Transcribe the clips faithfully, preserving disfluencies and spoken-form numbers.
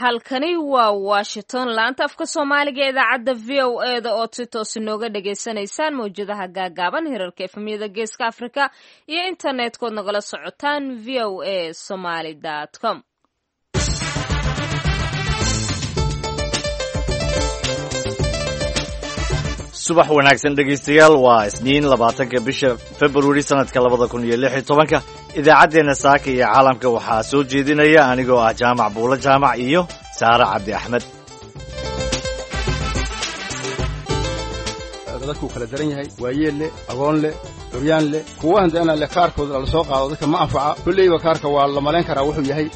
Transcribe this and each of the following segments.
Halkani waa Washington, laanta afka Soomaaliga ee idaacadda V O E da ood si toos inooga dhagaysanaysaan mawjadaha gaagaaban, hirarka efemyada Geeska Afrika iyo internet-kood nagala socotaan V O A Somaly com. Subax wanaagsan, dhegaystayaal. Waa Isniin, labaatanka bisha Februari, sanadka labada kun iyo lix iyo tobanka. Idaacaddeenna saaka iyo caalamka waxaa soo jeedinaya anigoo ah Jaamac Buulo Jaamac iyo Saare Cabdi Axmed. Dadkuu kala daran yahay: waayeel leh, agoon leh, curyaan leh, kuwa handana leh. Kaarkooda la soo qaado dadka ma anfaca. Kulleyba kaarka waa la malayn karaa wuxuu yahay,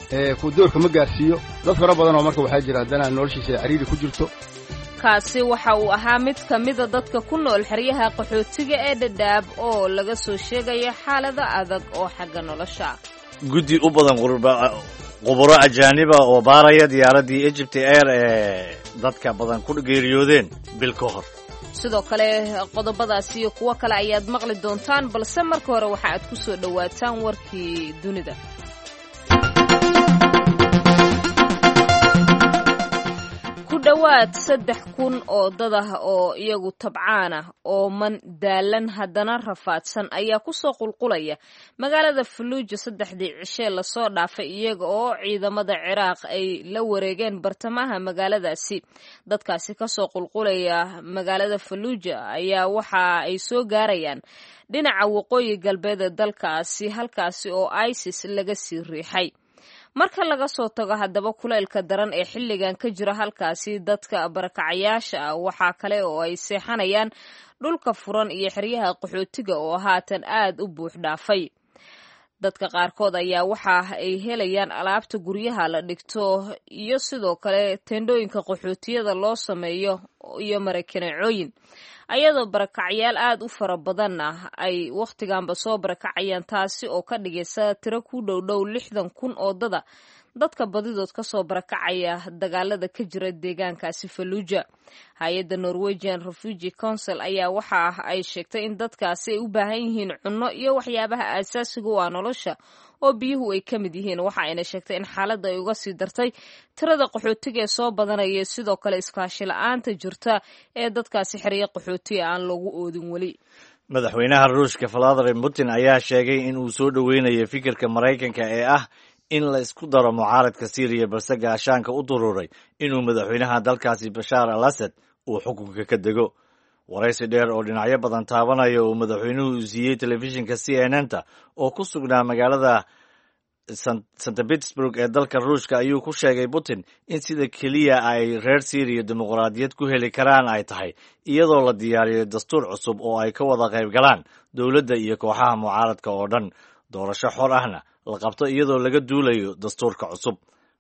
ku doorka ma gaarsiiyo dad fara badan oo marka waxaa jira haddana noloshiisa ay cariiri ku jirto. Kaasi waxa uu ahaa mid ka mida dadka ku nool xeryaha qaxootiga ee Dhadhaab oo laga soo sheegayo xaalado adag oo xagga nolosha. Guddi u badan khuburo ajaaniba oo baaraya diyaaraddii Egypt Air ee dadka badan ku geeriyoodeen bil ka hor. Sidoo kale qodobadaas iyo kuwo kale ayaad maqli doontaan, balse marka hore waxa aad ku soo dhowaataan warkii dunida. Ku dhowaad saddex kun oo dad ah oo iyagu tabcaan ah oo man daalan haddana rafaadsan ayaa kusoo qulqulaya magaalada Falluuja saddexdii cishee lasoo dhaafay, iyaga oo ciidamada Ciraaq ay la wareegeen bartamaha magaaladaasi. Dadkaasi kasoo qulqulaya magaalada Falluuja ayaa waxa ay soo gaarayaan dhinaca waqooyi galbeed ee dalkaasi, halkaasi oo ISIS laga sii riixay. Marka laga soo tago haddaba kuleylka daran ee xilligan ka jira halkaasi, dadka barakacayaasha ah waxaa kale oo ay seexanayaan dhulka furan iyo xeryaha qaxootiga oo haatan aad u buux dhaafay. Dadka qaarkood ayaa waxa ay helayaan alaabta guryaha la dhigto iyo sidoo kale teendhooyinka qaxootiyada loo sameeyo iyo marakaneecooyin, ayadoo barakacyaal aad u fara badanna ay wakhtiganba soo barakacayaan, taasi oo ka dhigaysa tiro ku dhow dhow lixdan kun oo dada, dadka badidood kasoo barakacaya dagaalada ka jira deegaankaasi Falluuja. Hay-adda Norwegian Refugee Council ayaa waxa ay sheegtay in dadkaasi ay u baahan yihiin cunno iyo waxyaabaha aasaasiga u ah nolosha oo biyuhu ay ka mid yihiin. Waxa ayna sheegtay in xaaladda ay uga sii dartay tirada qaxootiga ee soo badanaya, sidoo kale iskaashi la-aanta jirta ee dadkaasi xeryo qaxootiga aan loogu oodin weli. Madaxweynaha Ruushka Vladimir Putin ayaa sheegay in uu soo dhoweynayo fikirka Maraykanka ee ah in la isku daro mucaaradka Siiriya, balse gaashaanka u duruuray inuu madaxweynaha dalkaasi Bashaar al Asad uu xukunka ka dego. Waraysi dheer oo dhinacyo badan taabanaya uu madaxweynuhu siiyey telefishinka C N N ta oo ku sugnaa magaalada Saint Petersburg ee dalka Ruushka ayuu ku sheegay Putin in sida keliya ay reer Siiriya dimuqraadiyad ku heli karaan ay tahay iyadoo la diyaariyo dastuur cusub oo ay ka wada qayb galaan dowladda iyo kooxaha mucaaradka oo dhan, doorasho xor ahna la qabto iyadoo laga duulayo dastuurka cusub.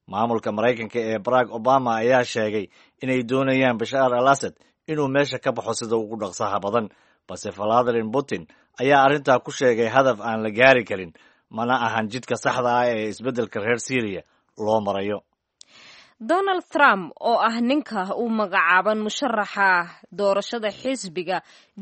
Maamulka Maraykanka ee Barack Obama ayaa sheegay inay doonayaan Bashaar al Asad inuu meesha ka baxo sida ugu dhaqsaha badan, balse Vladimir Putin ayaa arrintaa ku sheegay hadaf aan la gaari karin, mana ahan jidka saxda ah ee isbeddelka reer Siiriya loo marayo. Donald Trump oo ah ninka uu magacaaban musharaxa doorashada xisbiga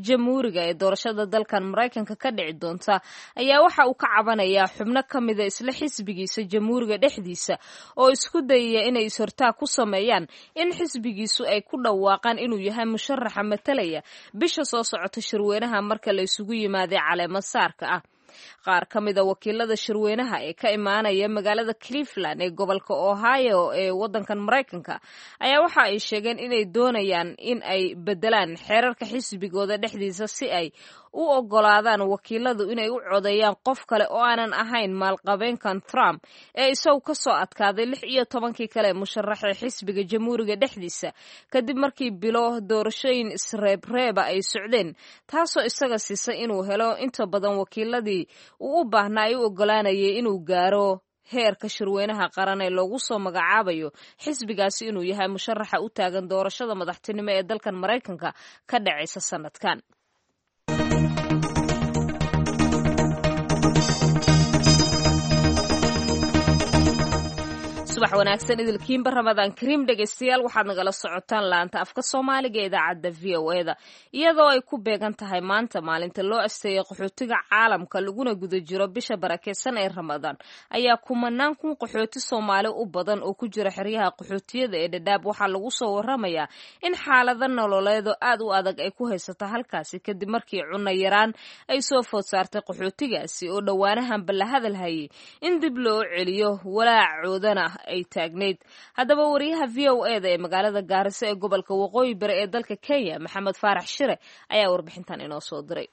Jamhuuriga ee doorashada dalkan Maraykanka ka dhici doonta ayaa waxa uu ka cabanayaa xubno ka mida isla xisbigiisa Jamhuuriga dhexdiisa oo isku dayaya inay is-hortaag ku sameeyaan in xisbigiisu ay ku dhawaaqaan inuu yahay musharaxa matalaya bisha soo socota shirweynaha marka la isugu yimaaday caleemo saarka ah. Qaar ka mida wakiilada shirweynaha ee ka imaanaya magaalada Cleveland ee gobolka Ohio ee waddankan Maraykanka ayaa waxa ay sheegeen inay doonayaan in ay bedelaan xeerarka xisbigooda dhexdiisa si ay u ogolaadaan wakiiladu inay u codeeyaan qof kale oo aanan ahayn maalqabeenkan Trump ee isagu ka soo adkaaday lix iyo tobankii kale musharaxee xisbiga Jamhuuriga dhexdiisa, kadib markii bilo doorashooyin isreebreeba ay socdeen, taasoo isaga siisay inuu helo inta badan wakiiladii uu u baahnaa ay u ogolaanayay inuu gaaro heerka shirweynaha qaran ee loogu soo magacaabayo xisbigaasi inuu yahay musharaxa u taagan doorashada madaxtinimo ee dalkan Maraykanka ka dhacaysa sanadkan. Subax wanaagsan idilkiinba, Ramadaan kariim dhegaystayaal. Waxaad nagala socotaan laanta afka Soomaaliga ee idaacadda V O A da. Iyadoo ay ku beegan tahay maanta maalinta loo asteeyay qaxootiga caalamka, laguna guda jiro bisha barakeysan ee Ramadaan, ayaa kumanaan kun qaxooti Soomaali u badan oo ku jira xeryaha qaxootiyada ee Dhadhaab waxaa lagu soo waramayaa in xaalado nololeedo aad u adag ay ku haysato halkaasi, kadib markii cunno yaraan ay soo food saartay qaxootigaasi oo dhowaanahanba la hadal hayay in dib loo celiyo, walaacoodana ay taagnayd. Haddaba wariyaha V O A da ee magaalada Gaarisa ee gobolka Waqooyi Bari ee dalka Kenya, Maxamed Faarax Shire, ayaa warbixintan inoo soo diray.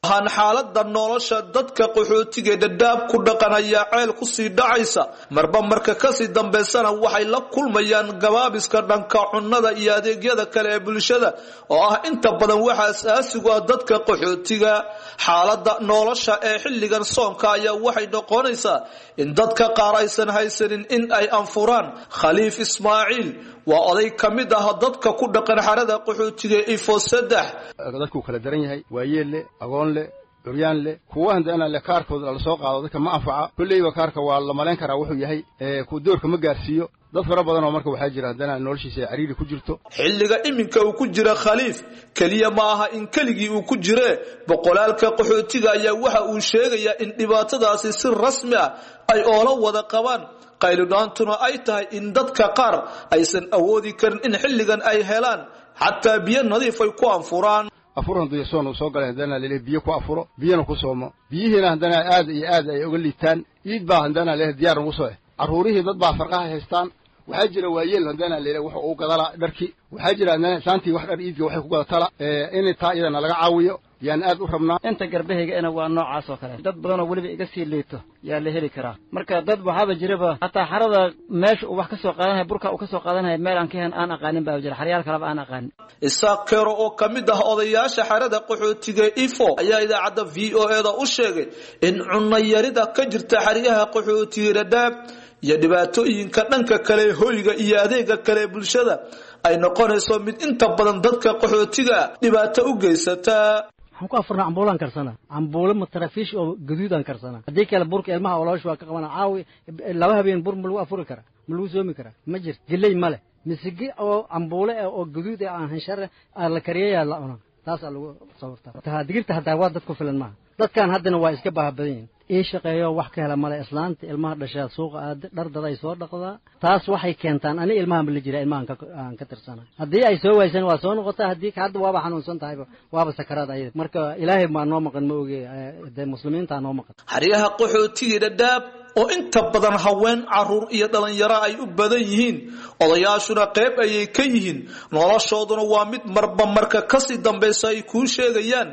Waxaan xaalada nolosha dadka qaxootiga Dhadhaab ku dhaqan ayaa ceel kusii dhacaysa marba marka kasii dambaysana waxay la kulmayaan gabaabiska dhanka cunnada iyo adeegyada kale ee bulshada oo ah inta badan waxa asaasigu ah dadka qaxootiga. Xaalada nolosha ee xilligan soonka ayaa waxay noqonaysaa in dadka qaar aysan haysanin in ay anfuraan. Khaliif Ismaaciil waa oday ka mid ah dadka ku dhaqan xerada qaxootiga Ifo saddex. Dadkuu kala daran yahay, waayeel leh, agoon leh, curyaan leh, kuwa haddana leh kaarkooda la soo qaado dadka ma anfaca. Kolleyba kaarka waa la malayn karaa wuxuu yahay, ku doorka ma gaarsiiyo dad fara badan oo marka waxaa jira haddana noloshiisa ay cariiri ku jirto. Xilliga iminka uu ku jira Khaliif keliya ma aha in keligii uu ku jiree, boqolaalka qaxootiga ayaa waxa uu sheegayaa in dhibaatadaasi si rasmi ah ay oola wada qabaan, qaylidhaantuna ay tahay in dadka qaar aysan awoodi karin in xilligan ay helaan xataa biyo nadiif ay ku anfuraan. Afur hadduu soon uu soo galay, haddana lele biyo ku afuro, biyana ku soomo, biyihiina haddana aad iyo aad ay uga liitaan. Iid baa haddana leh diyaar ugu soo eh carruurihii dad baa farqaha haystaan. Waxaa jira waayeel haddana lele wuxuu ugu gadalaa dharkii. Waxaa jira haddana saantii wax dhar iidka waxay ku gadatala in taa iyadana laga caawiyo yaan aad u rabnaa. Inta garbahaygana waa noocaas oo kale, dad badanoo weliba iga sii liito yaa la heli karaa. Marka dad waxaaba jiraba hataa xarada meesha uu wax ka soo qaadanaya, burka uu ka soo qaadanaya meel aan ka hen aan aqaanin baa jira, xaryaal kaleba aan aqaanin. Isaaq Kero oo ka mid ah odayaasha xerada qaxootiga Ifo ayaa idaacadda V O A da u sheegay in cunno yarida ka jirta xeryaha qaxootiga Dhadhaab iyo dhibaatooyinka dhanka kale hoyga iyo adeega kale bulshada ay noqonayso mid inta badan dadka qaxootiga dhibaato u geysata. Waxaan ku afurnaa cambuulaan karsanaa, cambuulo matarafiish oo gaduudaan karsanaa. Haddii kale burka ilmaha oloosh waa ka qabana. Caawi laba habeen bur ma lagu afuri karaa? Ma lagu soomi karaa? Ma jirto. Geley ma leh, misigi oo cambuule ah oo gaduud ah aan hanshare la kariyayaa la cunaa, taasaa lagu sawirtaa. Digirta hataa waa dad ku filan maaha. Dadkan haddana waa iska baaha badan yihin, ii shaqeeyo wax ka hela male. Islaanta ilmaha dhashaa suuqa aada dhar dad ay soo dhaqdaa, taas waxay keentaan ani ilmahan ba la jira, ilmahan aan ka tirsana. Haddii ay soo waaysan waa soo noqotaa, haddii hadda waaba xanuunsan tahayba, waaba sakaraad ayada. Marka Ilaahay maa noo maqan, ma oge dee muslimiintaa noo maqan. Xeryaha qaxootiga Dhadhaab oo inta badan haween, caruur iyo dhalinyaro ay u badan yihiin, odayaashuna qayb ayay ka yihiin, noloshooduna waa mid marba marka kasii dambaysa ay kuu sheegayaan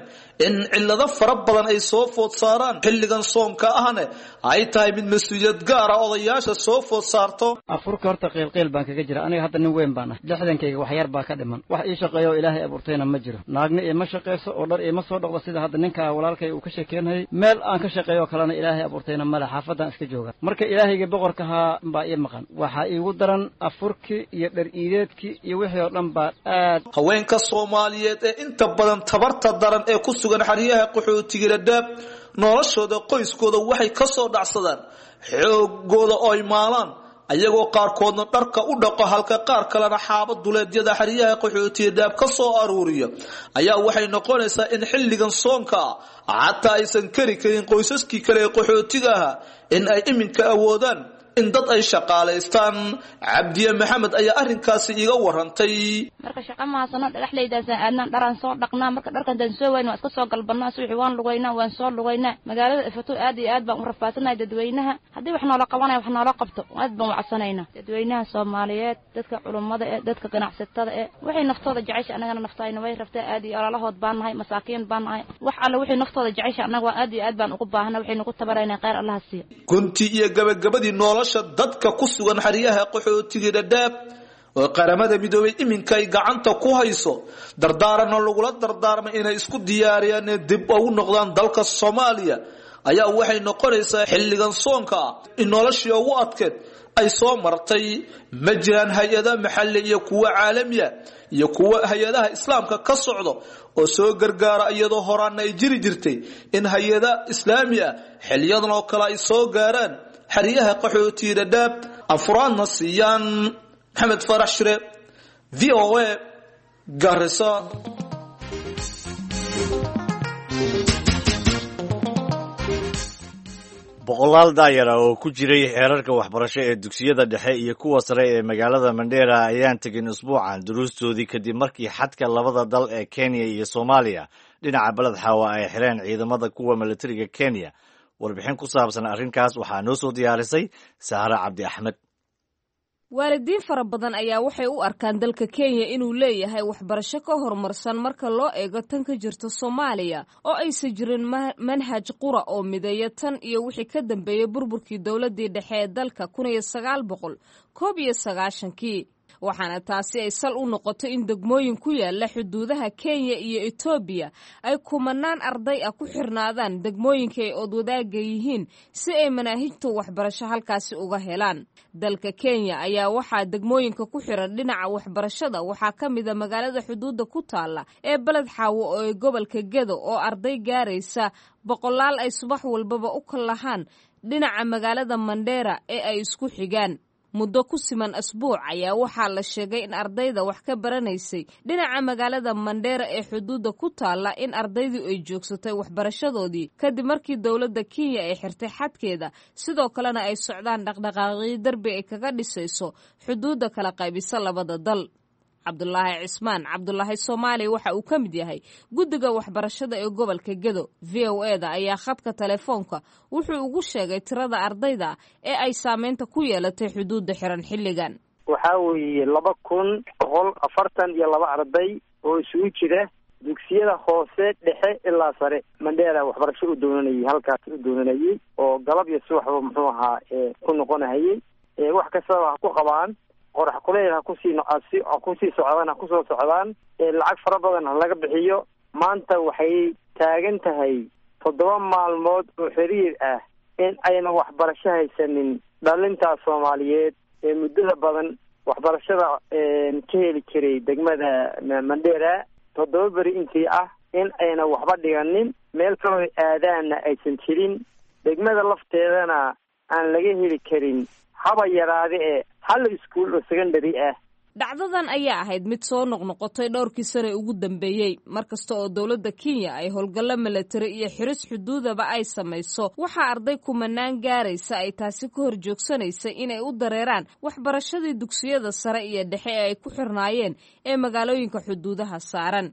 in cillado fara badan ay soo food saaraan, xilligan soonka ahna ay tahay mid mas-uuliyad gaara odayaasha soo food saarto. Afurka horta qiilqiil baan kaga jira. Aniga hadda nin weyn baan ah, lixdankayga wax yar baa ka dhiman. Wax ii shaqeeyo oo Ilaahay abuurtayna ma jiro. Naagna iima shaqayso oo dhar iima soo dhaqdo, sida hadda ninkaa walaalkay uu ka sheekeynayay. Meel aan ka shaqeeyo kalena Ilaahay abuurtayna male, xaafaddaan iska jooga. Marka Ilaahayga boqorkahaa baa ii maqan. Waxaa iigu daran afurkii iyo dhar iideedkii iyo wixii oo dhan baa aad. Haweenka Soomaaliyeed ee inta badan tabarta daran ee ku sugan xeryaha qaxootiga Dhadhaab noloshooda qoyskooda waxay ka soo dhacsadaan xoogooda oo ay maalaan, ayagoo qaarkoodna dharka u dhaqo, halka qaar kalena xaaba duleedyada xeryaha qaxootiga Dhadhaab ka soo aruuriya, ayaa waxay noqonaysaa in xilligan soonka ah xataa aysan kari karin qoysaskii kale ee qaxootiga ahaa in ay iminka awoodaan in dad ay shaqaalaystaan. Cabdiye Maxamed ayaa arrinkaasi iiga warantay. Marka shaqa mahaasano, dhagaxleydaasaan aadnaan, dharaan soo dhaqnaa. Marka dharka hadaan soo wayn waan iska soo galbanaa, subaxii waan lugaynaa, waan soo lugaynaa magaalada Ifato. Aad iyo aad baan u rafaadsanay. Dadweynaha haddii wax noola qabanaya wax noola qabto, aad baan u codsanaynaa. Dadweynaha Soomaaliyeed, dadka culummada eh, dadka ganacsatada eh, waxay naftooda jecesha annagana naftayna way rabtaa. Aad iyo ololahood baan nahay, masaakiin baan nahay. Wax alle waxay naftooda jecesha annaga waa aad iyo aad baan ugu baahana, waxay nagu tabaraynaa, khayr Allaha siiyo. Gunti iyo gabagabadii, nolosha dadka ku sugan xeryaha qaxootiga Dhadhaab oo Qaramada Midoobay iminka ay gacanta ku hayso, dardaaranna lagula dardaarmay inay isku diyaariyaan inay dib ugu noqdaan dalka Soomaaliya, ayaa waxay noqonaysaa xilligan soonka ah in noloshii ugu adkeed ay soo martay. Ma jiraan hay-ada maxalli iyo kuwa caalamiya iyo kuwa hay-adaha islaamka ka socdo oo soo gargaara, iyadoo horaana ay jiri jirtay in hay-ada islaami ah xiliyadan oo kale ay soo gaaraan xeryaha qaxootiga Dhadhaab. Afuraadna siiyaan. Maxamed Farax Shire, V O A, Garissa. Boqolaal daayara oo ku jiray xeerarka waxbarasho ee dugsiyada dhexe iyo kuwa sare ee magaalada Mandheera ayaan tegin usbuucan duruustoodii kadib markii xadka labada dal ee Kenya iyo Soomaaliya dhinaca Beled Xaawa ay xireen ciidamada kuwa militariga Kenya. Warbixin ku saabsan arrinkaas waxaa noo soo diyaarisay Sahre Cabdi Axmed. Waalidiin fara badan ayaa waxay u arkaan dalka Kenya inuu leeyahay waxbarasho ka horumarsan marka loo eego tan ka jirta Soomaaliya, oo aysan jirin manhaj qura oo mideeya tan iyo wixii ka dambeeyey burburkii dowladdii dhexe ee dalka kun iyo sagaal boqol koob iyo sagaashankii. Waxaana taasi ay sal u noqotay in degmooyin ku yaala xuduudaha Kenya iyo Etoobiya ay kumanaan arday ah ku xirnaadaan degmooyinka ay oodwadaaga yihiin si ay manaahijta waxbarasho halkaasi uga helaan. Dalka Kenya ayaa waxaa degmooyinka ku xiran dhinaca waxbarashada waxaa ka mid a magaalada xuduudda ku taalla ee Beled Xaawo oo ee gobolka Gedo, oo arday gaaraysa boqolaal ay subax walbaba u kallahaan dhinaca magaalada Mandheera ee ay isku xigaan. Muddo ku siman asbuuc ayaa waxaa la sheegay in ardayda wax ka baranaysay dhinaca magaalada Mandheera ee xuduudda ku taalla in ardaydu ay joogsatay waxbarashadoodii kadib markii dowladda Kenya ay xirtay xadkeeda, sidoo kalena ay socdaan dhaqdhaqaaqyo derbi ay kaga dhisayso xuduudda kala qaybisa labada dal. Cabdulaahi Cismaan Cabdulaahi Soomaali waxa uu ka mid yahay guddiga waxbarashada ee gobolka Gedo. V O E da ayaa khadka telefoonka wuxuu ugu sheegay tirada ardayda ee ay saameynta ku yeelatay xuduudda xiran xilligan. Waxaa weeye laba kun boqol afartan iyo laba arday oo isugu jira dugsiyada hoose, dhexe ilaa sare. Mandheera waxbarasho u doonanayay, halkaas u doonanayay oo galab iyo subaxba muxuu ahaa ku noqonahayay. Wax kastaba ha ku qabaan, qorax kuleyl ha kusii ha kusii socdaan, ha kusoo socdaan, lacag fara badan ha laga bixiyo. Maanta waxay taagan tahay toddoba maalmood oo xiriir ah in ayna waxbarasho haysanin dhalintaa Soomaaliyeed ee muddada badan waxbarashada ka heli jiray degmada Mandheera. Toddoba beri intii ah in ayna waxba dhiganin, meel kaloo aadaanna aysan jirin, degmada lafteedana aan laga heli karin haba yaraade ee hal iskuul oo secondary ah. Dhacdadan ayaa ahayd mid soo noqnoqotay dhowrkii sane ugu dambeeyey. Mar kasta oo dowladda Kenya ay howlgallo milatari iyo xiris xuduudaba ay samayso, waxaa arday kumanaan gaaraysa ay taasi ka hor joogsanaysa inay u dareeraan waxbarashadii dugsiyada sare iyo dhexe ee ay ku xirnaayeen ee magaalooyinka xuduudaha saaran.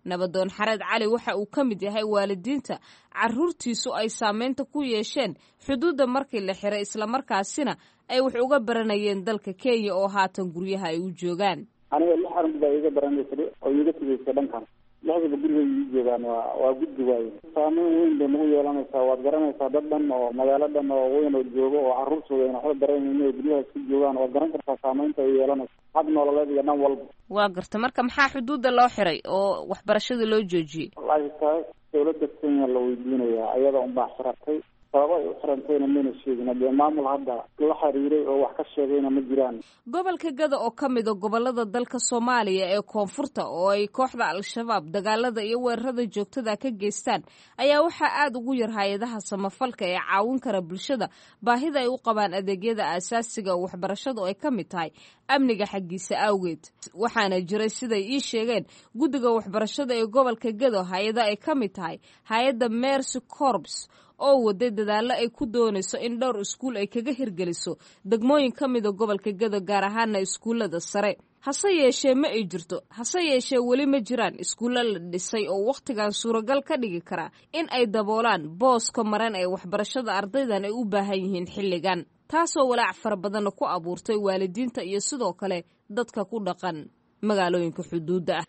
Nabadoon Xareed Cali waxa uu ka mid yahay waalidiinta carruurtiisu ay saameynta ku yeesheen xuduudda markii la xiray, islamarkaasina ay wax uga baranayeen dalka Kenya oo haatan guryaha ay u joogaan. Aniga lix arrin baa iga baranaysa oo iiga tegeysa dhankan, lixdaba guriga ii joogaan. Waa waa guddi waaye, saameyn weyn bay nagu yeelanaysaa. Waad garanaysaa dad dhan oo magaalo dhan oo weyn oo joogo oo carruurtooda ayna waxba baranaynin oo guryaha isku joogaan. Waad garan kartaa saameynta ay yeelanaysa xag nololeed iyo dhan walba. Waa garta. Marka maxaa xuduudda loo xiray oo waxbarashada loo joojiyey? Wallaahi taas dowladda Kenya la weydiinayaa, ayada unbaa xiratay. Sababo ay u xirantayna mayna sheegin, dee maamul hadda la xiriiray oo wax ka sheegayna ma jiraan. Gobolka Gada oo ka mid a gobolada dalka Soomaaliya ee koonfurta oo ay kooxda Al-Shabaab dagaalada iyo weerarada joogtada ka geystaan ayaa waxaa aada ugu yar hay-adaha samafalka ee caawin kara bulshada baahida ay u qabaan adeegyada aasaasiga oo waxbarashadu ay ka mid tahay amniga xaggiisa awgeed. Waxaana jiray, siday ii sheegeen guddiga waxbarashada ee gobolka Gado, hay-ada ay ka mid tahay hay-adda Mercy Corps oo waday dadaallo ay ku doonayso in dhowr iskuul ay kaga hirgeliso degmooyin ka mida gobolka Gado, gaar ahaana iskuullada sare. Hase yeeshee ma ay jirto, hase yeeshee weli ma jiraan iskuullo la dhisay oo wakhtigan suuragal ka dhigi kara in ay daboolaan booska maran ee waxbarashada ardaydan ay u baahan yihiin xilligan, taasoo walaac fara badanna ku abuurtay waalidiinta iyo sidoo kale dadka ku dhaqan magaalooyinka xuduudda ah.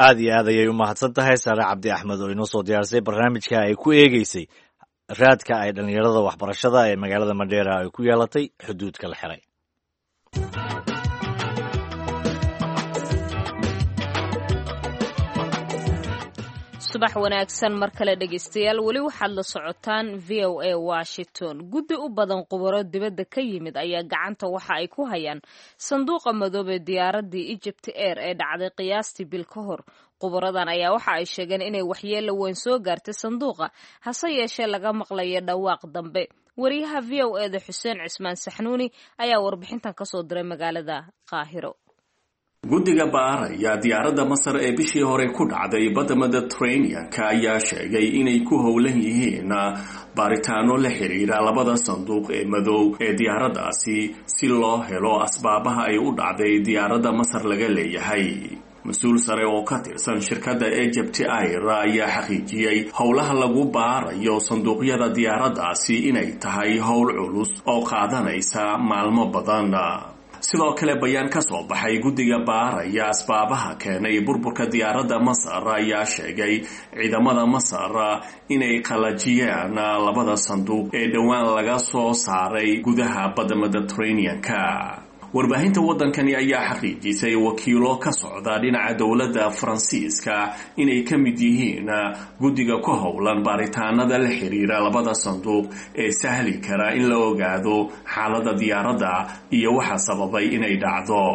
Aad iyo aad ayay u mahadsan tahay Saare Cabdi Axmed oo inoo soo diyaarisay barnaamijka ay ku eegeysay raadka ay dhallinyarada waxbarashada ee magaalada Mandheera ay ku yeelatay xuduudka la xiray. Subax wanaagsan mar kale dhegeystayaal, weli waxaad la socotaan V O A Washington. Guddi u badan khubaro dibadda ka yimid ayaa gacanta waxa ay ku hayaan sanduuqa madoobee diyaaraddii Egypt Air ee dhacday qiyaastii bil ka hor. Khubaradan ayaa waxa ay sheegeen inay waxyeelo weyn soo gaartay sanduuqa, hase yeeshee laga maqlayo dhawaaq dambe. Wariyaha V O eda Xuseen Cismaan Saxnuuni ayaa warbixintan kasoo diray magaalada Qaahiro. Guddiga baaraya diyaaradda Masar ee bishii hore ku dhacday badda Mediterranean-ka ayaa sheegay inay ku howlan yihiin baaritaano la xiriira labada sanduuq ee madow ee diyaaraddaasi si loo helo asbaabaha ay u dhacday diyaaradda Masar laga leeyahay. Mas-uul sare oo ka tirsan shirkadda Egypt Air ayaa xaqiijiyey howlaha lagu baarayo sanduuqyada diyaaraddaasi inay tahay howl culus oo qaadanaysa maalmo badan. Sidoo kale, bayaan ka soo baxay guddiga baaraya asbaabaha keenay burburka diyaaradda Masar ayaa sheegay ciidamada Masar inay qalajiyeen labada sanduuq ee dhowaan laga soo saaray gudaha badda Mediterranean-ka. Warbaahinta waddankani ayaa xaqiijisay wakiilo ka socda dhinaca dowladda Faransiiska inay ka mid yihiin guddiga ku howlan baaritaanada la xiriira labada sanduuq ee sahli kara in la ogaado xaaladda diyaaradda iyo waxa sababay inay dhacdo.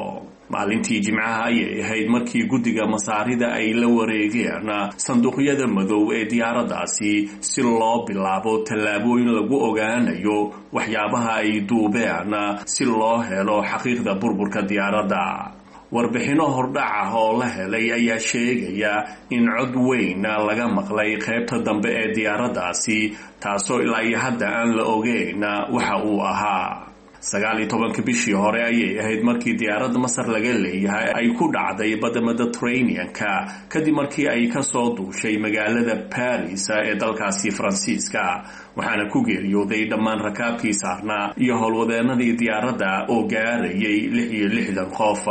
Maalintii Jimcaha ayay ahayd markii guddiga Masaarida ay la wareegeen sanduuqyada madow ee diyaaraddaasi si loo bilaabo tallaabooyin lagu ogaanayo waxyaabaha ay duubeen si loo helo xaqiiqda burburka diyaaradda. Warbixinno hordhac ah oo la helay ayaa sheegaya in cod weyn laga maqlay qaybta dambe ee diyaaraddaasi, taasoo ilaa iyo hadda aan la ogeyn waxa uu ahaa. Sagaal iyo tobanka bishii hore ayay ahayd markii diyaaradda Masar laga leeyahay ay ku dhacday badda Mediterranean-ka kadib markii ay kasoo duushay magaalada Paris ee dalkaasi Faransiiska, waxaana ku geeriyooday dhammaan rakaabkii saarnaa iyo howlwadeenadii diyaaradda oo gaarayay lix iyo lixdan qof.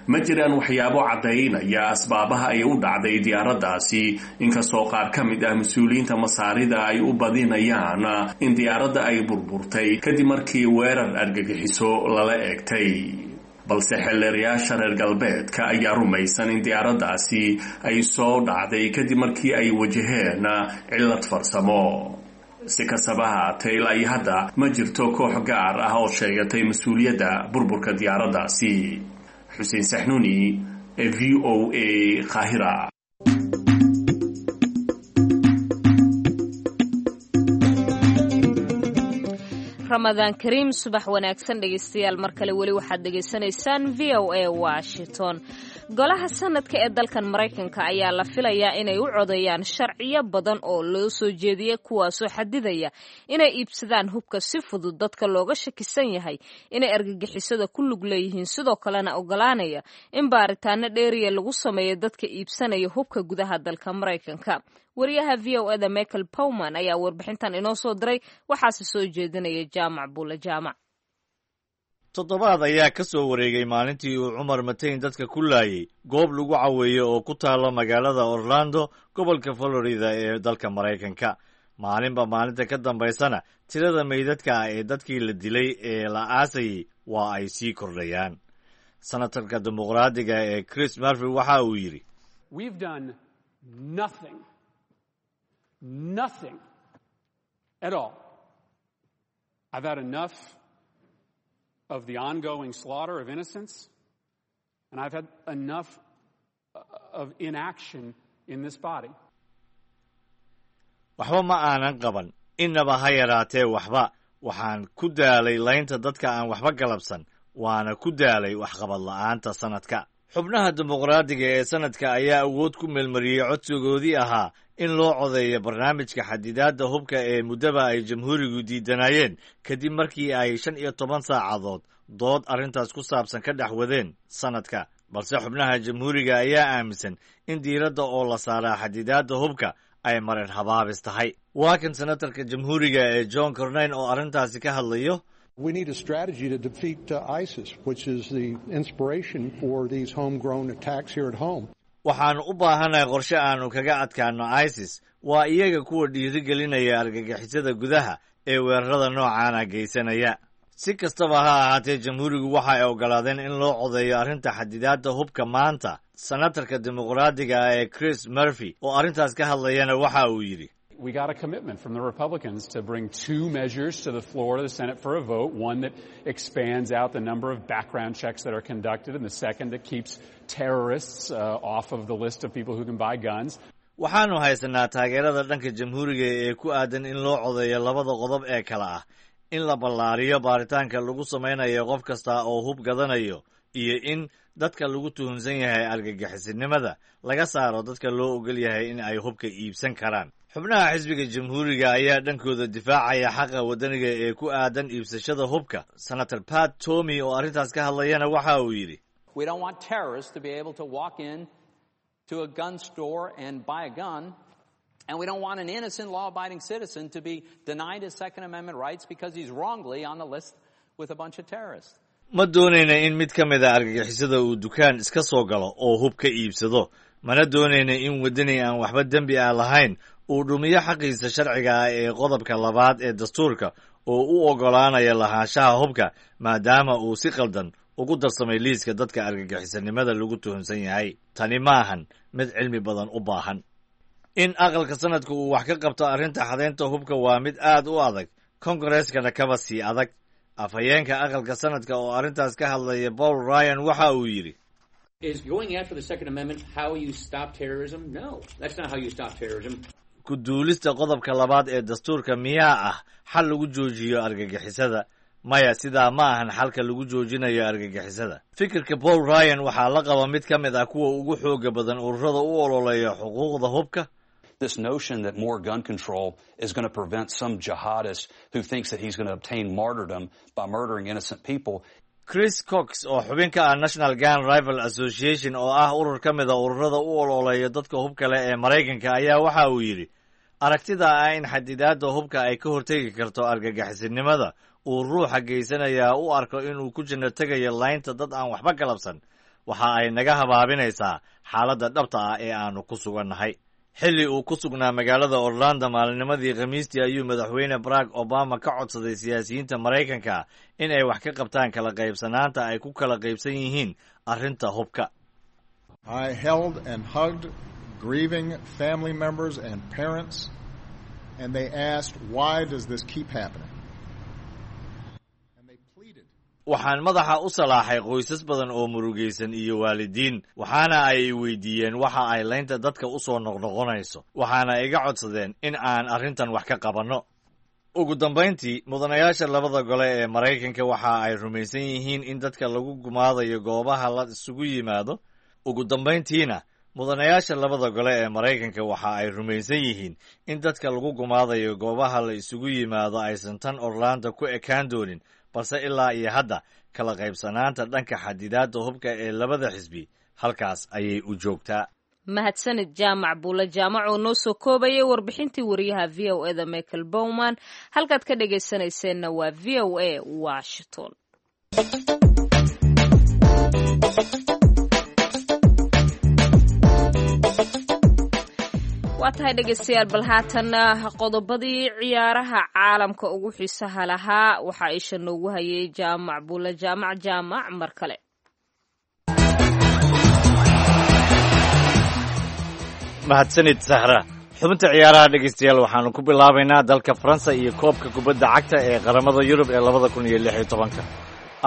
Ma jiraan waxyaabo caddaynaya asbaabaha ay u dhacday diyaaraddaasi, inkastoo qaar ka mid ah mas-uuliyiinta Masaarida ay u badinayaan in diyaaradda ay burburtay kadib markii weerar argagixiso lala eegtay, balse xeelleerayaasha reer galbeedka ayaa rumaysan in diyaaraddaasi ay soo dhacday kadib markii ay wajaheen cillad farsamo. Si kastaba haatee, ilaa iyo hadda ma jirto koox gaar ah oo sheegatay mas-uuliyadda burburka diyaaraddaasi. Xuseen Saxnuuni, V O A, Qaahira. Ramadaan kariim, subax wanaagsan dhegeystayaal. Mar kale weli waxaad dhegaysanaysaan V O A Washington. Golaha Sanadka ee dalkan Maraykanka ayaa la filayaa inay u codeeyaan sharciyo badan oo loo soo jeediyey, kuwaasoo xadidaya inay iibsadaan hubka si fudud dadka looga shakisan yahay inay argagixisada ku lug leeyihiin, sidoo kalena ogolaanaya in baaritaano dheeriya lagu sameeyo dadka iibsanaya hubka gudaha dalka Maraykanka. Wariyaha V O eda Michael Bowman ayaa warbixintan inoo soo diray, waxaase soo jeedinaya Jaamac Buule Jaamac. Toddobaad ayaa ka soo wareegay maalintii uu Cumar Mateyn dadka ku laayay goob lagu caweeyo oo ku taalla magaalada Orlando, gobolka Florida ee dalka Maraykanka. Maalinba maalinta ka dambaysana tirada meydadka ah ee dadkii la dilay ee la aasayay waa ay sii kordhayaan. Senatarka Dimuqraadiga ee Chris Murphy waxa uu yidhi: Nothing at all. I've had enough of the ongoing slaughter of innocents, and I've had enough of inaction in this body. Waxba ma aanan qaban, innaba ha yaraatee waxba. Waxaan ku daalay laynta dadka aan waxba galabsan, waana ku daalay waxqabad la'aanta sanadka. Xubnaha Dimuqraadiga ee sanadka ayaa awood ku meelmariyey codsigoodii ahaa in loo codeeyo barnaamijka xadidaadda hubka ee muddaba ay Jamhuurigu diidanayeen, kadib markii ay shan iyo toban saacadood dood arrintaas ku saabsan ka dhex wadeen sanadka. Balse xubnaha Jamhuuriga ayaa aaminsan in diiradda oo la saaraa xadidaadda hubka ay marin habaabis tahay. Waa kan senatarka Jamhuuriga ee John Cornyn oo arrintaasi ka hadlayo. We need a strategy to defeat uh, ISIS, which is the inspiration for these homegrown attacks here at home. Waxaannu u baahanahay qorshe aanu kaga adkaano ISIS. Waa iyaga kuwa dhiirigelinaya argagixisada gudaha ee weerarada noocaana geysanaya. Si kastaba ha ahaatee, Jamhuurigu waxa ay oggolaadeen in loo codeeyo arrinta xadidaadda hubka maanta. Senatarka Dimuqraadiga ah ee Chris Murphy oo arrintaas ka hadlayana waxa uu yidhi: We got a commitment from the Republicans to bring two measures to the floor of the Senate for a vote, one that expands out the number of background checks that are conducted, and the second that keeps terrorists uh, off of the list of people who can buy guns. Waxaannu haysanaa taageerada dhanka jamhuuriga ee ku aadan in loo codeeyo labada qodob ee kale ah in la ballaariyo baaritaanka lagu samaynayo qof kasta oo hub gadanayo iyo in dadka lagu tuhunsan yahay argagixisinimada laga saaro dadka loo ogol yahay in ay hubka iibsan karaan. Xubnaha xisbiga jamhuuriga ayaa dhankooda difaacaya xaqa waddaniga ee ku aadan iibsashada hubka. Senator Pat Toomey oo arrintaas ka hadlayana waxa uu yidhi: We don't want terrorists to be able to walk in to a gun store and buy a gun. And we don't want an innocent law-abiding citizen to be denied his Second Amendment rights because he's wrongly on the list with a bunch of terrorists. Ma doonayna in mid ka mid a argagixisada uu dukaan iska soo galo oo hub ka iibsado, mana doonayna in waddani aan waxba dembi ah lahayn uu dhumiyo xaqiisa sharciga ah ee qodobka labaad ee dastuurka oo u oggolaanaya lahaanshaha hubka maadaama uu si qaldan ugu darsamay liiska dadka argagixisanimada lagu tuhunsan yahay. Tani maahan mid cilmi badan u baahan. In aqalka sanadka uu wax ka qabto arrinta xadaynta hubka waa mid aad u adag, kongareskana kaba sii adag. Afhayeenka aqalka sanadka oo arrintaas ka hadlaya, Paul Ryan, waxa uu yidhi: Is going after the Second Amendment how you stop terrorism? No, that's not how you stop terrorism. Ku duulista qodobka labaad ee dastuurka miyaa ah xal lagu joojiyo argagixisada? Maya, sidaa ma ahan xalka lagu joojinayo argagixisada. Fikirka Paul Ryan waxaa la qaba mid ka mid ah kuwa ugu xooga badan ururada u ololeeya xuquuqda hubka. This notion that more gun control is going to prevent some jihadist who thinks that he's going to obtain martyrdom by murdering innocent people. Chris Cox oo xubin ka ah National Gun Rifle Association oo ah urur ka mid a ururada u ololeeya dadka hubka leh ee Maraykanka ayaa waxa uu yidhi: aragtida ah in xadidaadda hubka ay ka hortegi karto argagixisinimada uu ruuxa geysanayaa u arko inuu ku janno tegayo laynta dad aan waxba galabsan waxa ay naga habaabinaysaa xaaladda dhabta ah ee aanu ku sugannahay. Xilli uu ku sugnaa magaalada Orlando maalinimadii Khamiistii ayuu Madaxweyne Barack Obama ka codsaday siyaasiyiinta Maraykanka in ay wax ka qabtaan kala qaybsanaanta ay ku kala qaybsan yihiin arrinta hubka. I held and hugged grieving family members and parents, and they asked, "Why does this keep happening?" Waxaan madaxa u salaaxay qoysas badan oo murugaysan iyo waalidiin, waxaana ay weydiiyeen waxa ay laynta dadka u soo noqnoqonayso, waxaana iga codsadeen in aan arrintan wax ka qabanno. Ugu dambayntii, mudanayaasha labada gole ee Maraykanka waxa ay rumaysan yihiin in dadka lagu gumaadayo goobaha la isugu yimaado. Ugu dambayntiina, mudanayaasha labada gole ee Maraykanka waxa ay rumaysan yihiin in dadka lagu gumaadayo goobaha la isugu yimaado aysan tan Orlando ku ekaan doonin, balse ilaa iyo hadda kala qaybsanaanta dhanka xadidaadda hubka ee labada xisbi halkaas ayay u joogtaa. Mahadsanid Jaamac Buula Jaamac oo noo soo koobayay warbixintii wariyaha V O E da Michael Bowman. Halkaad ka dhagaysanayseena waa V O A Washington. Waa tahay dhegaystayaal, bal haatanna qodobadii ciyaaraha caalamka ugu xiisaha lahaa waxaa isha noogu hayay Jaamac Buula Jaamac. Jaamac, mar kale. Mahadsanid Sahra. Xubinta ciyaaraha, dhegaystayaal, waxaanu ku bilaabaynaa dalka Faransa iyo koobka kubadda cagta ee qaramada Yurub ee labada kun iyo lix iyo tobanka.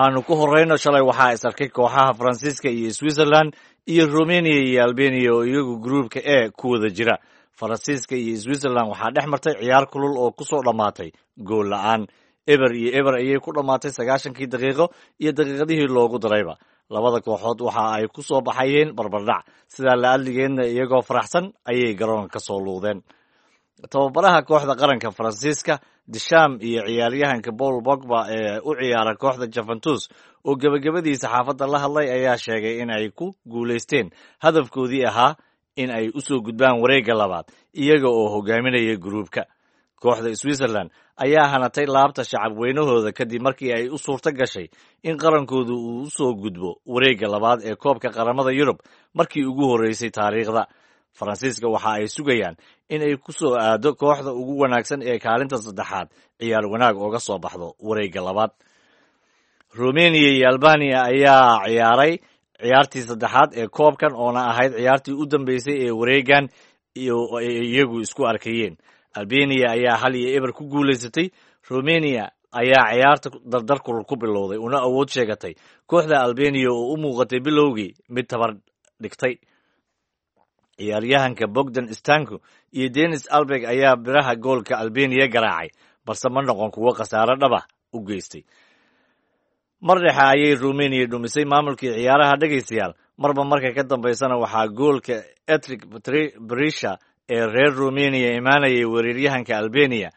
Aanu ku horreyno, shalay waxaa is arkay kooxaha Faransiiska iyo Switzerland iyo Romania iyo Albania oo iyagu gruubka E ku wada jira. Faransiiska iyo Switzerland waxaa dhex martay ciyaar kulul oo ku soo dhammaatay gool la'aan. Eber iyo eber ayay ku dhammaatay sagaashankii daqiiqo iyo daqiiqadihii loogu darayba. Labada kooxood waxa ay ku soo baxayeen barbardhac, sidaa la adligeedna iyagoo faraxsan ayay garoonka ka soo luudeen. Tababaraha kooxda qaranka Faransiiska Deschamps iyo ciyaaryahanka Paul Pogba ee u ciyaara kooxda Juventus oo gebagabadii saxaafadda la hadlay ayaa sheegay in ay ku guulaysteen hadafkoodii ahaa in ay u soo gudbaan wareegga labaad iyaga oo hogaaminaya gruubka. Kooxda Switzerland ayaa hanatay laabta shacab weynahooda kadib markii ay u suurto gashay in qarankoodu uu u soo gudbo wareegga labaad ee koobka qaramada Yurub markii ugu horreysay taariikhda. Faransiiska waxa ay sugayaan in ay ku soo aado kooxda ugu wanaagsan ee kaalinta saddexaad ciyaar wanaag ooga soo baxdo wareegga labaad. Romania iyo Albania ayaa ciyaaray ciyaartii saddexaad ee koobkan oona ahayd ciyaartii u dambeysay ee wareeggan iyo ay iyagu isku arkayeen. Albania ayaa hal iyo eber ku guulaysatay. Romania ayaa ciyaarta dardar kulul ku bilowday una awood sheegatay kooxda Albania oo u muuqatay bilowgii mid tabar dhigtay. Ciyaaryahanka Bogdan Stanko iyo Denis Albeg ayaa biraha goolka Albeniya garaacay, balse ma noqon kuwo khasaare dhaba u geystay. Mar dhexe ayay Rumeniya dhumisay maamulkii ciyaaraha dhegaystayaal. Marba marka ka dambaysana waxaa goolka Etrik Berisha ee reer Rumeniya imaanayay weeraryahanka Albeniya.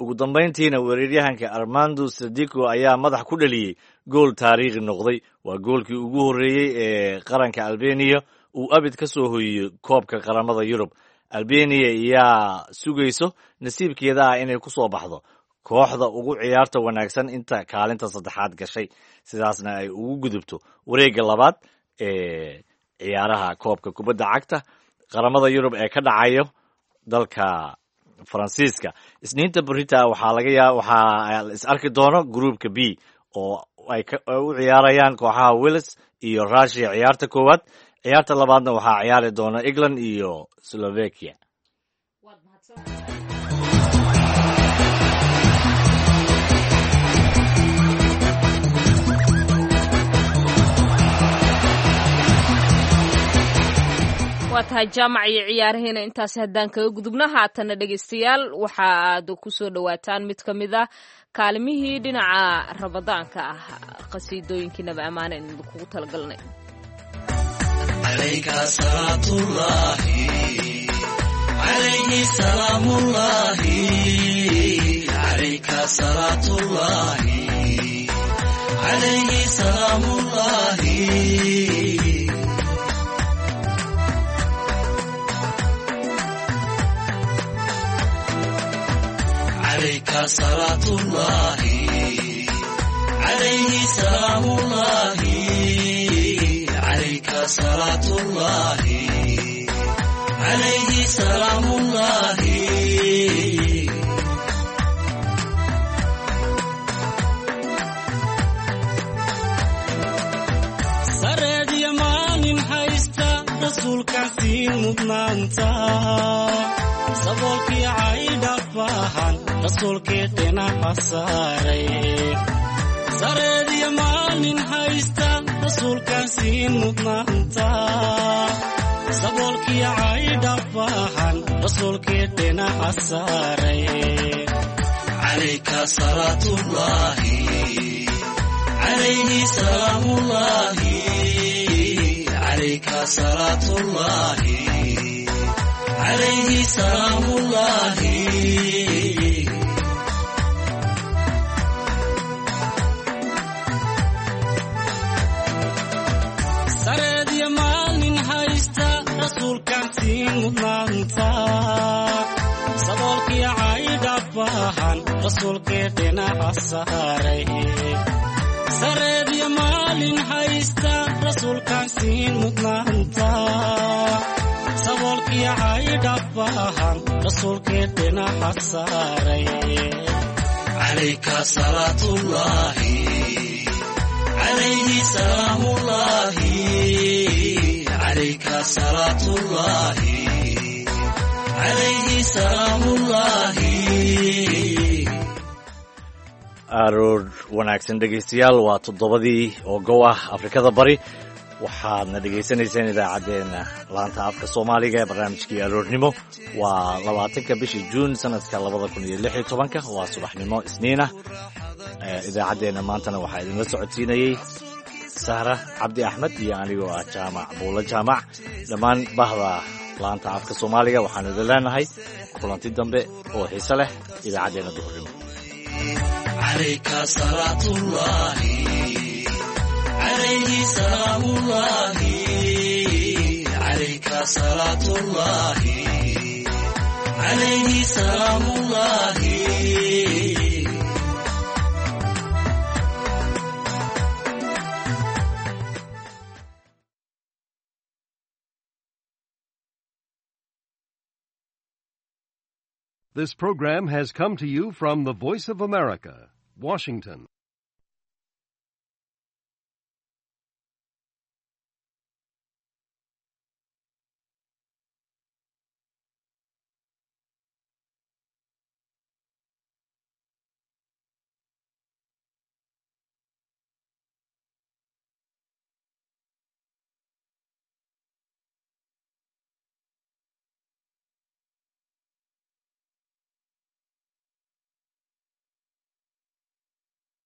Ugu dambayntiina weeraryahanka Armando Sadiku ayaa madax ku dhaliyey gool taariikhi noqday. Waa goolkii ugu horreeyey ee qaranka Albeniya uu abid ka soo hoyiyey koobka qaramada Yurub. Albeniya ayaa sugayso nasiibkeeda ah inay ku soo baxdo kooxda ugu ciyaarta wanaagsan inta kaalinta saddexaad gashay, sidaasna ay ugu gudubto wareegga labaad ee ciyaaraha koobka kubadda cagta qaramada Yurub ee ka dhacayo dalka Faransiiska. Isniinta berita waxaa laga yaa waxaa la is arki doono gruupka B oo ay u ciyaarayaan kooxaha Wales iyo Russia ciyaarta koowaad. Ciyaarta labaadna waxaa ciyaari doona England iyo Slovakia. Waa tahay jaamac iyo ciyaarahiina intaasi haddaan kaga gudubno. Haatana dhegaystayaal, waxa aad ku soo dhowaataan mid ka mid ah kaalimihii dhinaca rabadaanka ah, qasiidooyinkiinaba ammaana in kugu talagalnay. صلاة الله عليه سلام الله، عليك صلاة الله عليه سلام الله. سرد يمان haysta rasuulkaasi mudnaanta, saboolkii caydhafahan rasuulkii dhinaca saaray. Sareediyo maalin haysta rasuulkaasi mudnaanta, saboolkii caydhafahan rasuulkii dhinaca saaray. Calayka salaatullaahi calayhi salaamullaahi, calayka salaatullaahi عليه سلام الله. Sareed iyo maalin haysta rasuulkaantiin mudnaanta, saboolkii caydhafahan rasuulkii dhinaca saaray. Sareed iyo maalin haysta rasuulkaantiin mudnaanta, saboolkii caydhafahan rasuulkii dhinaca saaray. Calayka salaatullaahi calayhi salaamullaahi, calayka salaatullaahi calayhi salaamullaahi. Aroor wanaagsan dhegaystayaal, waa toddobadii oo gow ah Afrikada Bari. Waxaadna dhegaysanayseen idaacaddeenna laanta afka Soomaaliga ee barnaamijkii aroornimo. Waa labaatanka bishii Juun sanadka labada kun iyo lix iyo tobanka, waa subaxnimo Isniinah. Idaacaddeenna maantana waxaa idinla socodsiinayey Sahra Cabdi Axmed iyo anigoo ah Jaamac Buulo Jaamac. Dhammaan bahda laanta afka Soomaaliga waxaanu idin leenahay kulanti dambe oo xiise leh idaacaddeenna duhurnimo. Calayka salaatullaahi عليه سلام الله، عليك صلاة الله عليه سلام الله. This program has come to you from the Voice of America, Washington.